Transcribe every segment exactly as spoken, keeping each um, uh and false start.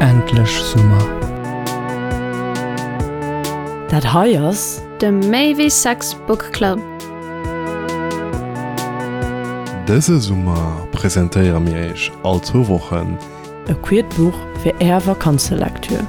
Endlech Summer! Dat hei ass. De Méi wéi Sex Book Club. Dëse Summer presentéiere mir iech all zwou Wochen. E queert Buch fir är Vakanzelektür.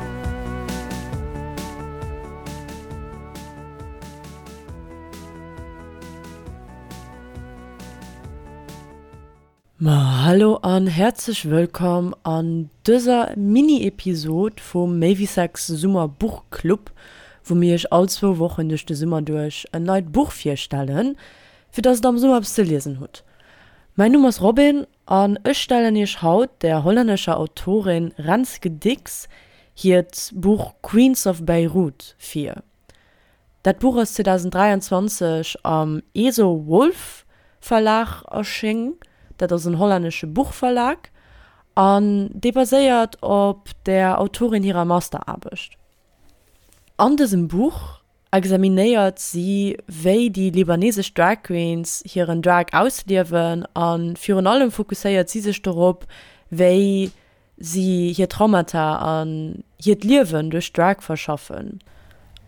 Ma hallo an häerzlech wëllkomm an dëser Mini-Episod vum Méi wéi Sex Summer Buchclub, wou mir iech all zwou Wochen duerch de Summer duerch en neit Buch virstellen, fir dass der am Summer eppes ze liesen hutt. Mäin Numm ass Robin an ech stellen iech haut der hollännescher Autorin Renske Diks hiert Buch Queens of Beirut vir. Dat Buch ass zweedausenddräianzwanzeg am Eso Wolf Verlag erschéng, dat ass en hollännesche Buchverlag, an dee baséiert op der Autorin hirer Masteraarbecht. An dësem Buch examinéiert si, wéi déi libanesesch Drag Queens hiren Drag ausliewen a virun allem fokusséiert si sech dorop, wéi si hir Traumata an hiert Liewen duerch Drag verschaffen.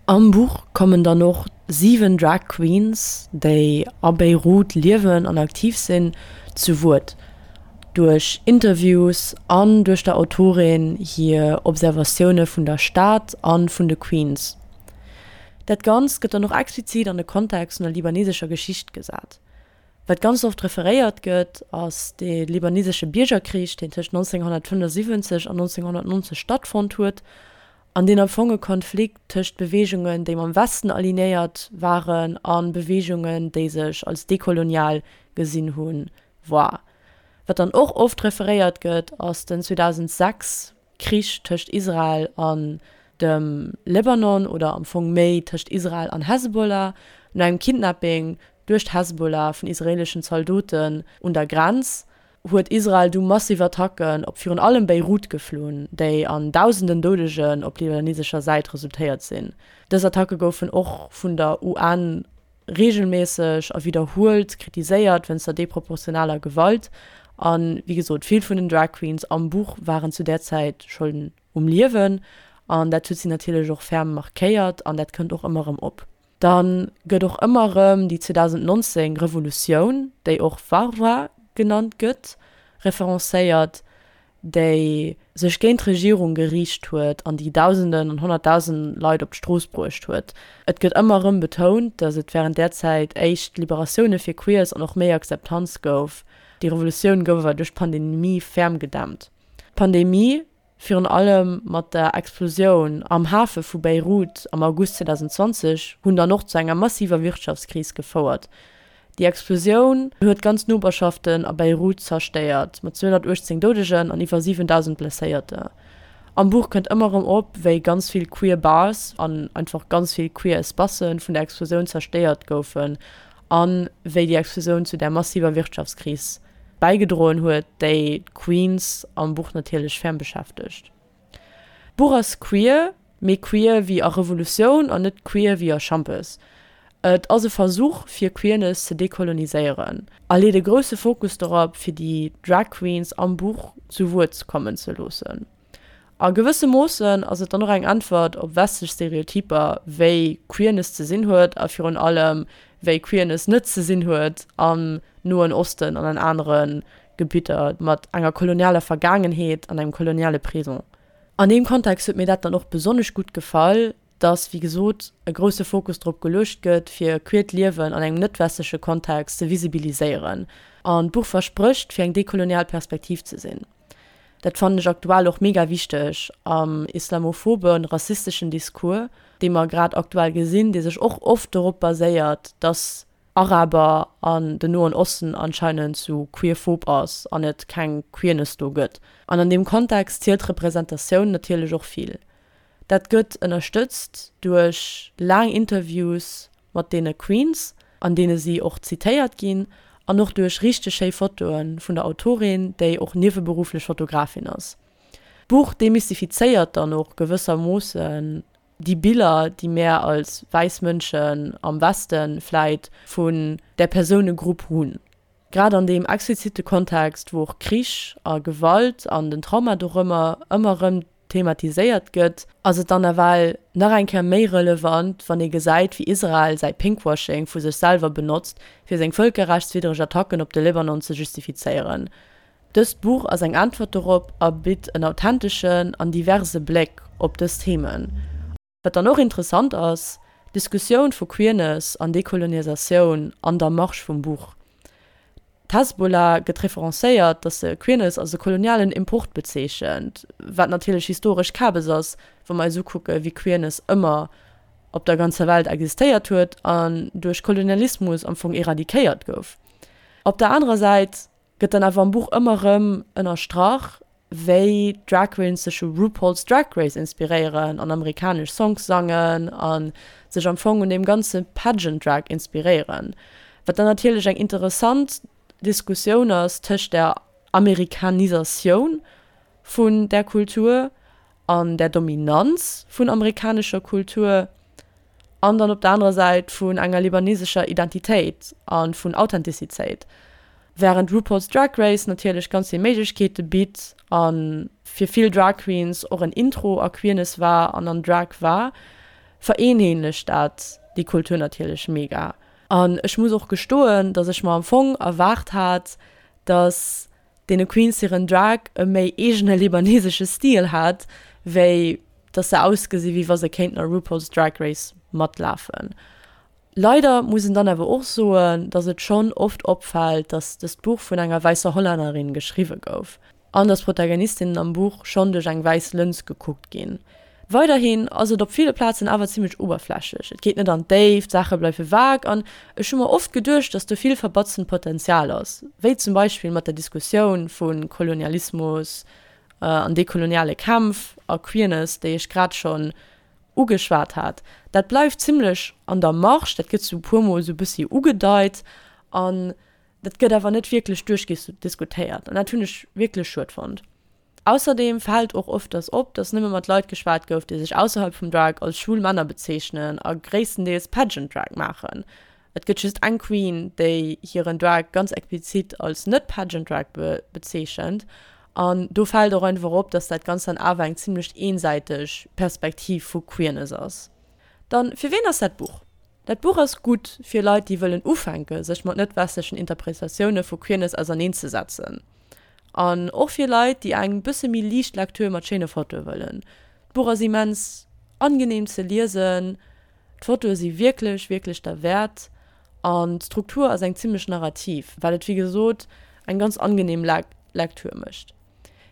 Am Buch kommen dann och siwen Drag Queens, déi a Beirut liewen an aktiv sinn, zu Wuert. Duerch Interviews an duerch der Autorin hir Observatioune vun der Stad a vun de Queens. Dat Ganzt gëtt dann och explizit an de Kontext vun der libanesescher Geschicht gesat. Wat ganz oft referéiert gëtt, ass de libanesesche Biergerkrich, deen tëscht nonzénghonnertfënnefosiwwenzeg an nonzénghonnertnonzeg stattfonnt huet, an deen am Fong e Konflikt tëscht Beweegungen, déi mam Westen alignéiert waren, a Beweegungen, déi sech als dekolonial gesinn hunn, war. Wat dann och oft referéiert gëtt, ass den zweedausendsechs Krich tëscht Israel an dem Libanon, oder am Fong méi tëscht Israel an Hezbollah, no engem Kidnapping duerch d'Hezbollah vun israeleschen Zaldoten un der Grenz, huet Israel du massiv Attacken op virun allem Beirut geflunn, déi an dausenden Doudegen op libanesescher Säit resultéiert sinn. Dës Attacke goufen och vun der U N reegelméisseg a widderhuelt kritiséiert wéinst der deproportionaler Gewalt. An wéi gesot, vill vun den Drag Queens am Buch waren zu där Zäit schonn um Liewen an dat huet si natierlech och ferm markéiert an dat kënnt och ëmmer erëm op. Dann gëtt och ëmmer erëm déi zweedausendnonzéng Revolutioun, déi och Thawra genannt gëtt, referencéiert, déi sech géint d'Regierung geriicht huet an déi Dausenden an Honnertdausenden Leit op d'Strooss bruecht huet. Et gëtt ëmmer erëm betount, datt et wärend där Zäit éischt Liberatioune fir Queers an och méi Akzeptanz gouf. Déi Revolutioun gouf awer duerch d'Pandemie ferm gedämpt. D'Pandemie, virun allem mat der Explosioun am Hafe vu Beirut am August zweedausendzwanzeg, hunn dann och zu enger massiver Wirtschaftskris gefouert. Déi Explosioun huet ganz Noperschaften a Beirut zerstéiert, mat zweehonnertuechtzéng Doudegen an iwwer siwendausend Blesséierter. Am Buch kënnt ëmmer erëm op, wéi ganz vill queer Bars an einfach ganz vill queer Espacen vun der Explosioun zerstéiert goufen a wéi déi Explosioun zu där massiver Wirtschaftskris bäigedroen huet, déi d'Queens am Buch natierlech ferm beschäftegt. D'Buch ass queer, mee queer wéi a Revolutioun an net queer wéi a Schampes. Et ass e Versuch fir Queerness ze dekoloniséieren a leet e grousse Fokus dorop fir déi Drag Queens am Buch zu Wuert kommen ze loossen. A gewësse Moossen ass et dann och eng Äntwert op westlech Stereotyper, wéi Queerness ze sinn huet a virun allem wéi Queerness net ze sinn huet am Noen Osten an an anere Gebitter mat enger kolonialer Vergaangenheet an engem koloniale Présent. An deem Kontext huet mir dat dann och besonnesch gutt gefall, dass, wéi gesot, e grousse Fokus drop geluecht gëtt, fir queert Liewen an engem net-westleche Kontext ze visibiliséieren. An d'Buch versprécht, fir eng dekolonial Perspektiv ze sinn. Dat fannen ech aktuell och mega wichteg am islamophoben, rassisteschen Discours, dee mer grad aktuell gesinn, dee sech och oft dorop baséiert, dass Araber an den Noen Osten anscheinend sou queerphob ass an et keng Queerness do gëtt. An an deem Kontext zielt Representatioun natierlech och vill. Dat gëtt ënnerstëtzt duerch laang Interviews mat deene Queens, an deene si och zitéiert ginn, an och duerch richteg schéi Fotoe vun der Autorin, déi och nieweberufflech Fotografin ass. D'Buch demystifizéiert dann och gewëssermoossen déi Biller, déi mär als wäiss Mënschen am Westen vläit vun där Persounegrupp hunn. Grad an deem explizite Kontext, wou och Krich a Gewalt an den Trauma dorëmmer ëmmer erëm thematiséiert gëtt, ass et dann nawell nach eng Kéier méi relevant, wann ee gesäit, wéi Israel säi Pinkwashing vu sech selwer benotzt, fir seng vëlkerrechtswiddreg Attacken op de Libanon ze justifizéieren. Dëst Buch ass eng Äntwert dorop a bitt en authenteschen an diverse Bléck op dës Themen. Wat dann och interessant ass, d'Diskussioun vu Queerness an Dekolonisatioun an der Marge vum Buch. D'Hezbollah gëtt referencéiert, datt se Queerness als e kolonialen Import bezeechent, wat natierlech historesch Kabes ass, wa mer eis ukucke wéi Queerness ëmmer op der ganzer Welt existéiert huet an duerch Kolonialismus am Fong eradikéiert gouf. Op der anerer Säit gëtt dann awer am Buch ëmmer erëm ënnerstrach, wéi Drag Queens sech u RuPaul's Drag Race inspiréieren an amerikanesch Songs sangen a sech am Fong un deem ganze Pageant Drag inspiréieren, wat dann natierlech eng interessant Diskussioun ass tëscht der Amerikanisatioun vun där Kultur an der Dominanz vun amerikanescher Kultur an dann op der anerer Säit vun enger libanesescher Identitéit a vun Authentizitéit. Wärend RuPaul's Drag Race natierlech ganz vill Méiglechkeete bitt a fir vill Drag Queens och en Intro a Queerness war an an Drag war, vereenheetlecht dat déi Kultur natierlech mega. An ech muss och gestoen, dass ech mer am Fong erwaart hat, dass deene Queens hiren Drag e méi eegene libanesesche Stil hat, wéi dass se ausgesi wéi wa se kéinten a RuPaul's Drag Race matlafen. Leider muss een dann awer och soen, dass et schonn oft opfält, dass dëst Buch vun enger wäisser Hollännerin geschriwwe gouf an dass d'Protagonistinnen am Buch schonn duerch eng wäiss Lëns gekuckt ginn. Weiderhin ass et op ville Plazen awer zimmlech oberflächlech, et geet net an d'Déift, d'Saache bleiwe vag an ech hu mer oft geduecht, dass do vill verbatzent Potenzial ass, wéi zum Beispill mat der Diskussioun vu Kolonialismus an dekoloniale Kämpf a Queerness, déi ech grad schonn ugeschwat hat. Dat bleift zimmlech an der Marge, dat gëtt sou e puermol sou e bëssi ugedeit an dat gëtt awer net wierklech duerchdiskutéiert an dat hunn ech wierklech schued fonnt. Ausserdeem fält och ëfters op, dass nëmme mat Leit geschwat gouf, déi sech ausserhalb vum Drag als schwul Männer bezeechnen a gréisstendeels Pageant Drag maachen. Et gëtt just eng Queen, déi hiren Drag ganz explizit als net-Pageant Drag bezeechent an do fält och einfach op, dass dat Ganzt dann awer eng zimmlech eensäiteg Perspektiv vu Queerness ass. Dann, fir ween ass dat Buch? Dat Buch ass gutt fir Leit, déi wëllen ufänke sech mat net-westlechen Interpretatioune vu Queerness auserneenzesetzen. An och fir Leit, déi eng bësse méi liicht Lektür mat schéine Fotoe wëllen. D'Buch ass immens angenehm ze liesen, d'Fotoe si wierklech, wierklech derwäert an d'Struktur ass eng zimmlech narrativ, wat et wéi gesot eng ganz angenehm Lektür mécht.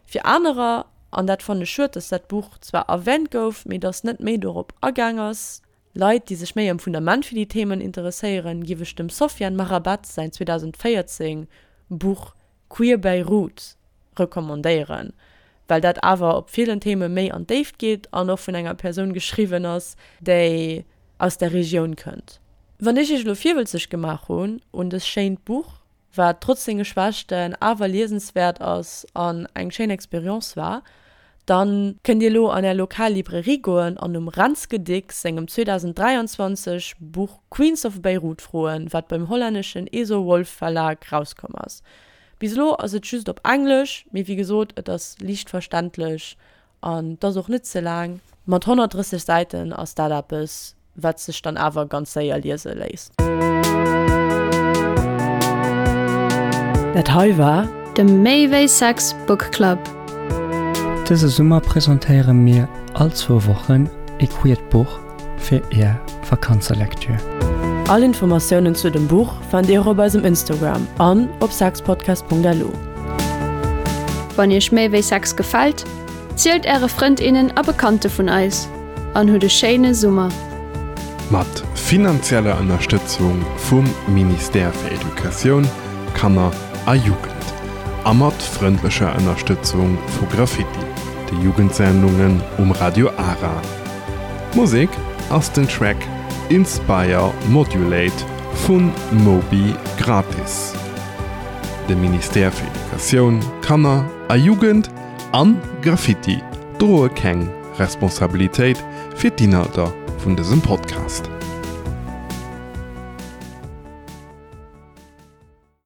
Fir anerer, an dat fannen ech schued, dass dat Buch zwar erwähnt gouf, mee dass net méi dorop agaang ass, Leit, déi sech méi am Fundament fir déi Themen interesséieren, giff ech dem Sofiane Marabat säin zweedausendvéierzéng Buch Queer Beirut recommandéieren, well dat awer op villen Theme méi an d'Déift geet an och vun enger Persoun geschriwwen ass, déi aus der Regioun kënnt. Wann ech iech elo virwëlzeg gemaach hunn un dëst schéint Buch, wat trotz senge Schwächten awer liesenswäert ass an eng schéin Experience war, dann kënnt dir elo an är lokal Librairie goen an nom Renske Diks sengem zweedausenddräianzwanzeg Buch Queens of Beirut froen, wat beim hollänneschen Eso Wolf Verlag rauskomm ass. Bis elo ass et just op Englesch, mee wéi gesot, et ass liicht verständlech an et ass och net ze laang. Mat honnertdrësseg Säiten ass dat eppes, wat sech dann awer ganz séier liese léisst. Dat hei war. De Méi wéi Sex Book Club. Dëse Summer presentéiere mir all zwou Wochen e queert Buch fir är Vakanzelektür. All Informatiounen zu dem Buch fannt dir och op eisem Instagram an op sexpodcast Punkt lu. Wann iech Méi wéi Sex gefält, zielt äre Frënd, innen a Bekannte vun eis an hutt e schéine Summer. Mat finanzieller Ënnerstëtzung vum Ministère fir Educatioun, Kanner a Jugend a mat frëndlecher Ënnerstëtzung vu Graffiti, de Jugendsendungen um Radio Ara. Musek ass den Track Inspire Modulate vun Moby Gratis. De Ministère fir Educatioun, Kanner a Jugend an Graffiti droe keng Responsabilitéit fir d'Inhalter vun dësem Podcast.